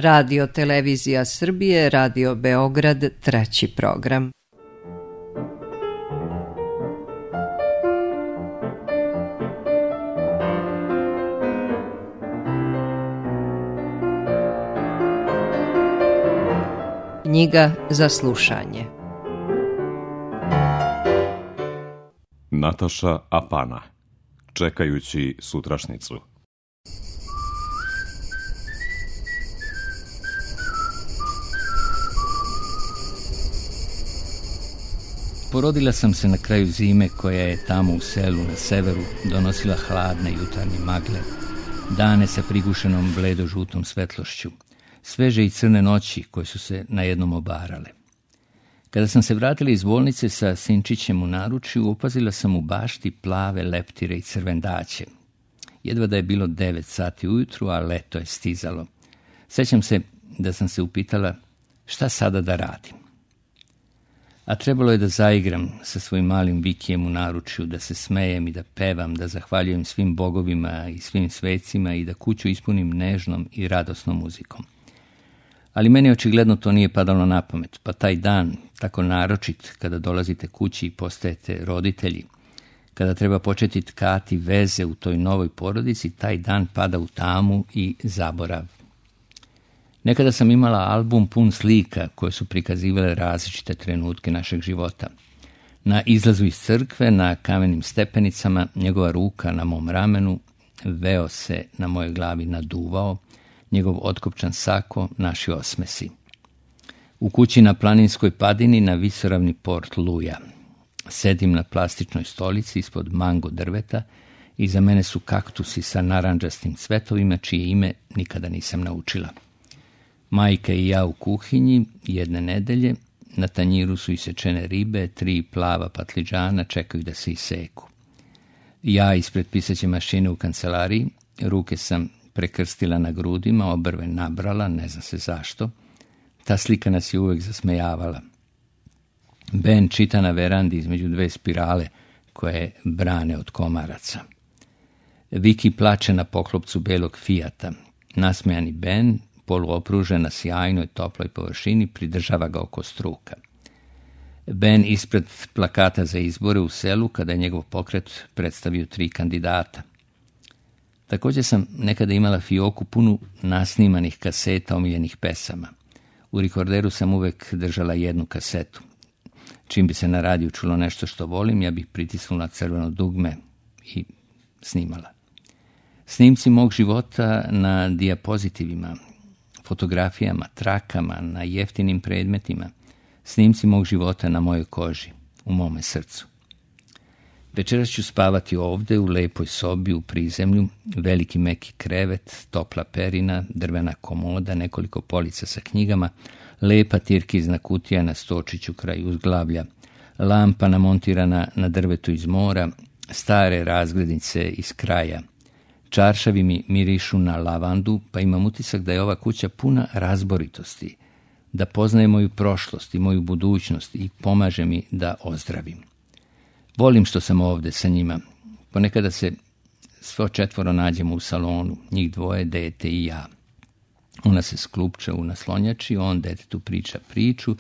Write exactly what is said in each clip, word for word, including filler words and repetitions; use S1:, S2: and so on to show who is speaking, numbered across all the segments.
S1: Radio Televizija Srbije, Radio Beograd, treći program. Knjiga za slušanje.
S2: Nataša Apana. Čekajući sutrašnicu.
S3: Porodila sam se na kraju zime koja je tamo u selu na severu donosila hladne jutarnje magle, dane sa prigušenom bledo-žutom svetlošću, sveže i crne noći koje su se najednom obarale. Kada sam se vratila iz bolnice sa sinčićem u naručju, opazila sam u bašti plave leptire i crvendaće. Jedva da je bilo devet sati ujutru, a leto je stizalo. Sećam se da sam se upitala šta sada da radim. A trebalo je da zaigram sa svojim malim Vikijem u naručju, da se smejem i da pevam, da zahvaljujem svim bogovima i svim svecima i da kuću ispunim nežnom i radosnom muzikom. Ali meni očigledno to nije padalo na pamet, pa taj dan, tako naročit, kada dolazite kući i postajete roditelji, kada treba početi tkati veze u toj novoj porodici, taj dan pada u tamu i zaborav. Nekada sam imala album pun slika koje su prikazivale različite trenutke našeg života. Na izlazu iz crkve, na kamenim stepenicama, njegova ruka na mom ramenu, veo se na mojoj glavi naduvao, njegov otkopčan sako, naši osmesi. U kući na planinskoj padini na visoravni Port Luja. Sedim na plastičnoj stolici ispod mango drveta, iza mene su kaktusi sa narandžastim cvetovima, čije ime nikada nisam naučila. Majka i ja u kuhinji, jedne nedelje, na tanjiru su isečene ribe, tri plava patliđana čekaju da se iseku. Ja ispred pisaće mašine u kancelariji, ruke sam prekrstila na grudima, obrve nabrala, ne zna se zašto. Ta slika nas je uvek zasmejavala. Ben čita na verandi između dve spirale koje brane od komaraca. Viki plače na poklopcu belog Fijata. Nasmejani Ben, poluopružen na sjajnoj toploj površini, pridržava ga oko struka. Ben ispred plakata za izbore u selu, kada je njegov pokret predstavio tri kandidata. Također sam nekada imala fioku punu nasnimanih kaseta omiljenih pesama. U rekorderu sam uvek držala jednu kasetu. Čim bi se na radiju čulo nešto što volim, ja bih pritisnula crveno dugme i snimala. Snimci mog života na dijapozitivima, fotografijama, trakama, na jeftinim predmetima, snimci mog života na mojoj koži, u mome srcu. Večeras ću spavati ovde, u lepoj sobi, u prizemlju, veliki meki krevet, topla perina, drvena komoda, nekoliko polica sa knjigama, lepa tirkizna kutija na stočiću kraj uzglavlja, lampa namontirana na drvetu iz mora, stare razglednice iz kraja. Čaršavi mi mirišu na lavandu, pa imam utisak da je ova kuća puna razboritosti, da poznaje moju prošlost i moju budućnost i pomaže mi da ozdravim. Volim što sam ovde sa njima. Ponekada se svo četvoro nađemo u salonu, njih dvoje, dete i ja. Ona se sklupča u naslonjači, on detetu priča priču,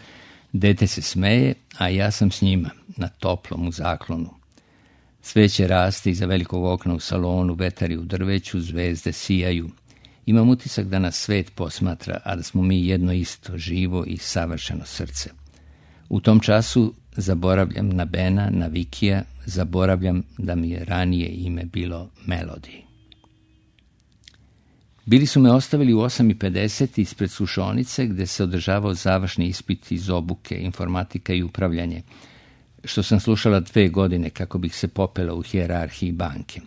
S3: dete se smeje, a ja sam s njima, na toplom, u zaklonu. Cveće raste iza velikog okna u salonu, vetari u drveću, zvezde sijaju. Imam utisak da nas svet posmatra, a da smo mi jedno isto, živo i savršeno srce. U tom času zaboravljam na Bena, na Vikija, zaboravljam da mi je ranije ime bilo Melody. Bili su me ostavili u osam i pedeset ispred slušonice gde se održavao završni ispit iz obuke, informatika i upravljanje, što sam slušala dve godine kako bih se popela u hijerarhiji banke.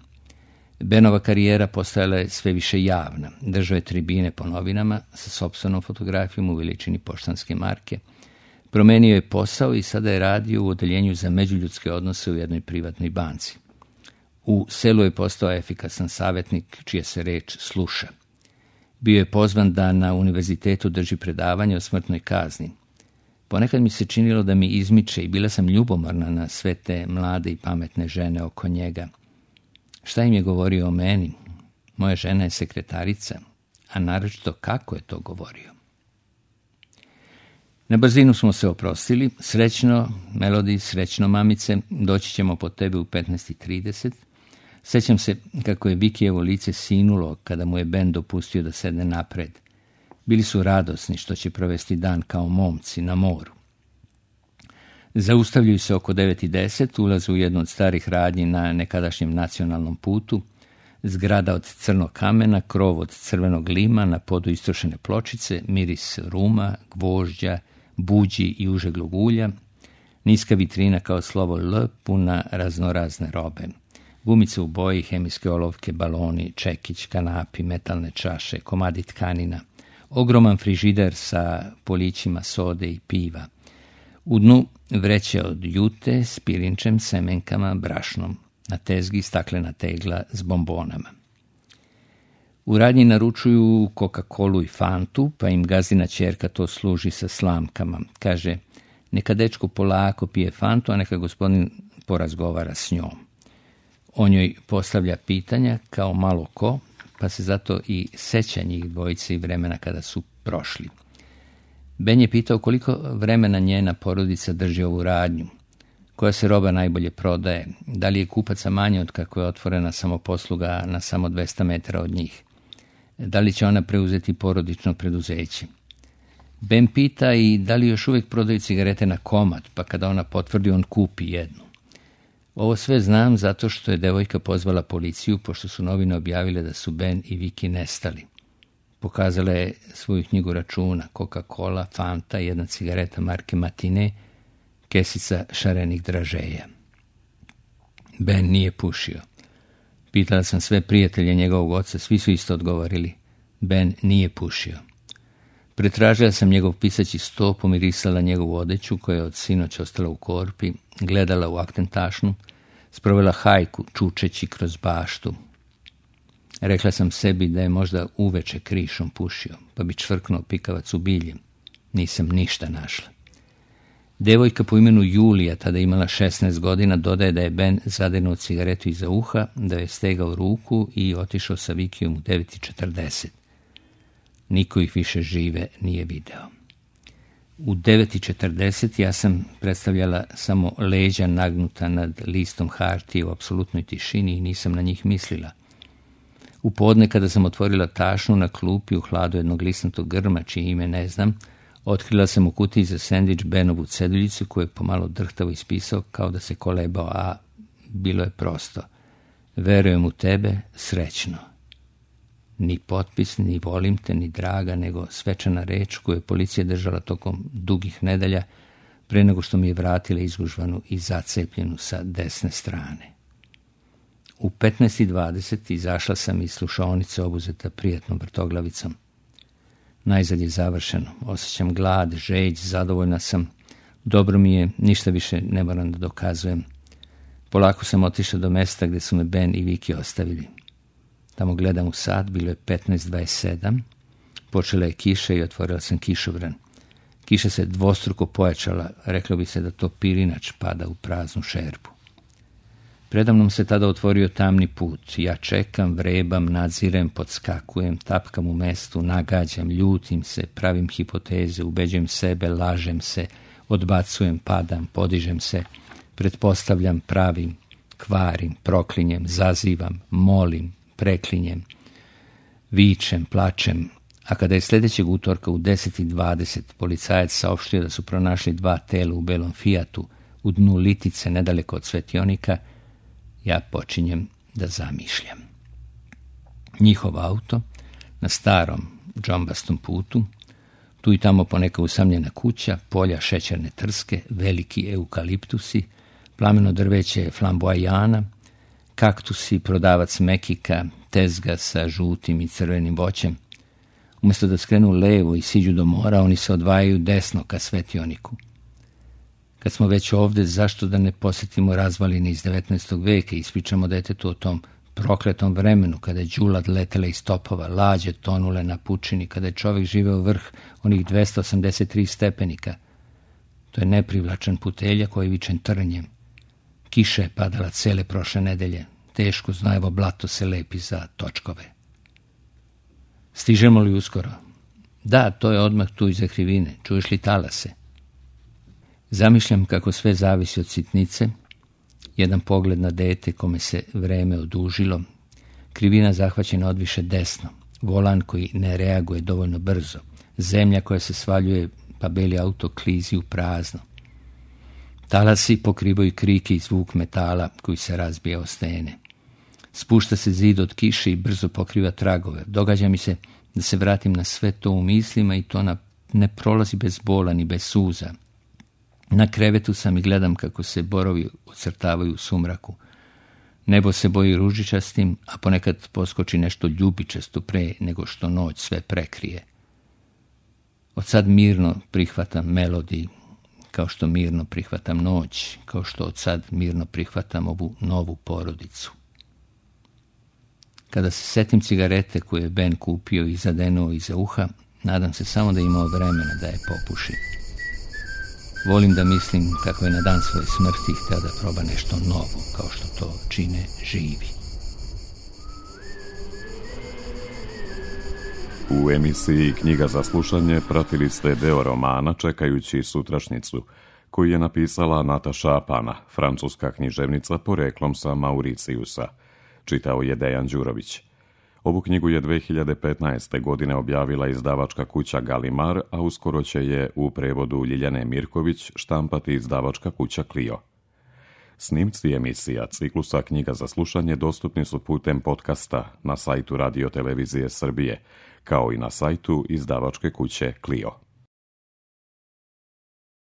S3: Benova karijera postajala je sve više javna. Držao je tribine po novinama sa sopstvenom fotografijom u veličini poštanske marke. Promenio je posao i sada je radio u odeljenju za međuljudske odnose u jednoj privatnoj banci. U selu je postao efikasan savjetnik čija se reč sluša. Bio je pozvan da na univerzitetu drži predavanje o smrtnoj kazni. Ponekad mi se činilo da mi izmiče i bila sam ljubomorna na sve te mlade i pametne žene oko njega. Šta im je govorio o meni? Moja žena je sekretarica, a naročito kako je to govorio. Na brzinu smo se oprostili. Srećno, Melody, srećno, mamice, doći ćemo po tebe u petnaest i trideset. Sjećam se kako je Vikijevo lice sinulo kada mu je Ben dopustio da sedne napred. Bili su radosni što će provesti dan kao momci na moru. Zaustavljaju se oko devet i deset, ulaze u jednu od starih radnji na nekadašnjem nacionalnom putu, zgrada od crnog kamena, krov od crvenog lima, na podu istrošene pločice, miris ruma, gvožđa, buđi i užeglog ulja, niska vitrina kao slovo L, puna raznorazne robe. Gumice u boji, hemijske olovke, baloni, čekić, kanapi, metalne čaše, komadi tkanina, ogroman frižider sa polićima sode i piva. U dnu vreće od jute s pirinčem, semenkama, brašnom. Na tezgi staklena tegla s bombonama. U radnji naručuju Coca-Colu i Fantu, pa im gazdina ćerka to služi sa slamkama. Kaže, neka dečko polako pije Fantu, a neka gospodin porazgovara s njom. On joj postavlja pitanja kao malo ko, pa se zato i seća njih dvojice i vremena kada su prošli. Ben je pitao koliko vremena njena porodica drži ovu radnju, koja se roba najbolje prodaje, da li je kupaca manje od kako je otvorena samoposluga na samo dvesta metara od njih, da li će ona preuzeti porodično preduzeće. Ben pita i da li još uvijek prodaju cigarete na komad, pa kada ona potvrdi on kupi jednu. Ovo sve znam zato što je devojka pozvala policiju, pošto su novine objavile da su Ben i Viki nestali. Pokazala je svoju knjigu računa, Coca-Cola, Fanta, jedna cigareta marke Matine, kesica šarenih dražeja. Ben nije pušio. Pitala sam sve prijatelje njegovog oca, svi su isto odgovorili. Ben nije pušio. Pretražila sam njegov pisaći sto, pomirisala njegovu odeću koja je od sinoć ostala u korpi, gledala u aktentašnu, sprovela hajku čučeći kroz baštu. Rekla sam sebi da je možda uveče krišom pušio, pa bi čvrknuo pikavac u bilje. Nisam ništa našla. Devojka po imenu Julija, tada imala šesnaest godina, dodaje da je Ben zadenuo cigaretu iza uha, da je stegao ruku i otišao sa Vikijom u devet i četrdeset. Niko ih više žive nije video. U devet i četrdeset ja sam predstavljala samo leđa nagnuta nad listom hartije u apsolutnoj tišini i nisam na njih mislila. U podne kada sam otvorila tašnu na klupi u hladu jednog lisnatog grma, čije ime ne znam, otkrila sam u kutiji za sendvič Benovu ceduljicu koju je pomalo drhtavo ispisao kao da se kolebao, a bilo je prosto. Verujem u tebe, srećno. Ni potpis, ni volim te, ni draga, nego svečana reč koju je policija držala tokom dugih nedelja pre nego što mi je vratila izgužvanu i zacepljenu sa desne strane. U petnaest i dvadeset izašla sam iz slušaonice obuzeta prijatnom vrtoglavicom. Najzad je završeno. Osjećam glad, žeđ, zadovoljna sam. Dobro mi je, ništa više ne moram da dokazujem. Polako sam otišla do mesta gdje su me Ben i Viki ostavili. Tamo gledam u sat, bilo je petnaest dvadeset sedam. Počela je kiša i otvorila sam kišobran. Kiša se dvostruko pojačala, reklo bi se da to pirinač pada u praznu šerpu. Predamnom se tada otvorio tamni put. Ja čekam, vrebam, nadzirem, podskakujem, tapkam u mestu, nagađam, ljutim se, pravim hipoteze, ubeđujem sebe, lažem se, odbacujem, padam, podižem se, pretpostavljam, pravim, kvarim, proklinjem, zazivam, molim, preklinjem, vičem, plačem. A kada je sljedećeg utorka u deset i dvadeset policajac saopštio da su pronašli dva tela u belom Fijatu u dnu Litice nedaleko od Svetionika, ja počinjem da zamišljam. Njihov auto na starom džombastom putu, tu i tamo poneka usamljena kuća, polja šećerne trske, veliki eukaliptusi, plameno drveće flamboajana, kaktusi, prodavac mekika, tezga sa žutim i crvenim voćem. Umjesto da skrenu levo i siđu do mora, oni se odvajaju desno ka Svetioniku. Kad smo već ovdje, zašto da ne posjetimo razvaline iz devetnaestog veka i ispričamo detetu o tom prokletom vremenu kada je đulad letela iz topova, lađe tonule na pučini, kada je čovjek živeo vrh onih dvesta osamdeset tri stepenika. To je neprivlačan putelja koji je vičen trnjem. Kiša je padala cele prošle nedelje. Teško znojevo blato se lepi za točkove. Stižemo li uskoro? Da, to je odmah tu iza krivine. Čuješ li talase? Zamišljam kako sve zavisi od sitnice, jedan pogled na dete kome se vreme odužilo, krivina zahvaćena odviše desno, volan koji ne reaguje dovoljno brzo, zemlja koja se svaljuje pa beli auto klizi u prazno. Talasi pokrivaju kriki i zvuk metala koji se razbija o stene. Spušta se zid od kiše i brzo pokriva tragove. Događa mi se da se vratim na sve to u mislima i to na, ne prolazi bez bola ni bez suza. Na krevetu sam i gledam kako se borovi ocrtavaju u sumraku. Nebo se boji ružičastim, a ponekad poskoči nešto ljubičasto pre nego što noć sve prekrije. Od sad mirno prihvatam melodiju, kao što mirno prihvatam noć, kao što od sad mirno prihvatam ovu novu porodicu. Kada se setim cigarete koje je Ben kupio i zadenuo iza uha, nadam se samo da je imao vremena da je popuši. Volim da mislim kako je na dan svoje smrti htio da proba nešto novo, kao što to čine živi.
S2: U emisiji Knjiga za slušanje pratili ste deo romana Čekajući sutrašnjicu, koji je napisala Nataša Apana, francuska književnica poreklom sa Mauricijusa. Čitao je Dejan Đurović. Ovu knjigu je dve hiljade petnaeste. godine objavila izdavačka kuća Galimar, a uskoro će je u prevodu Ljiljane Mirković štampati izdavačka kuća Clio. Snimci emisija ciklusa Knjiga za slušanje dostupni su putem podcasta na sajtu Radio Televizije Srbije, kao i na sajtu izdavačke kuće Clio.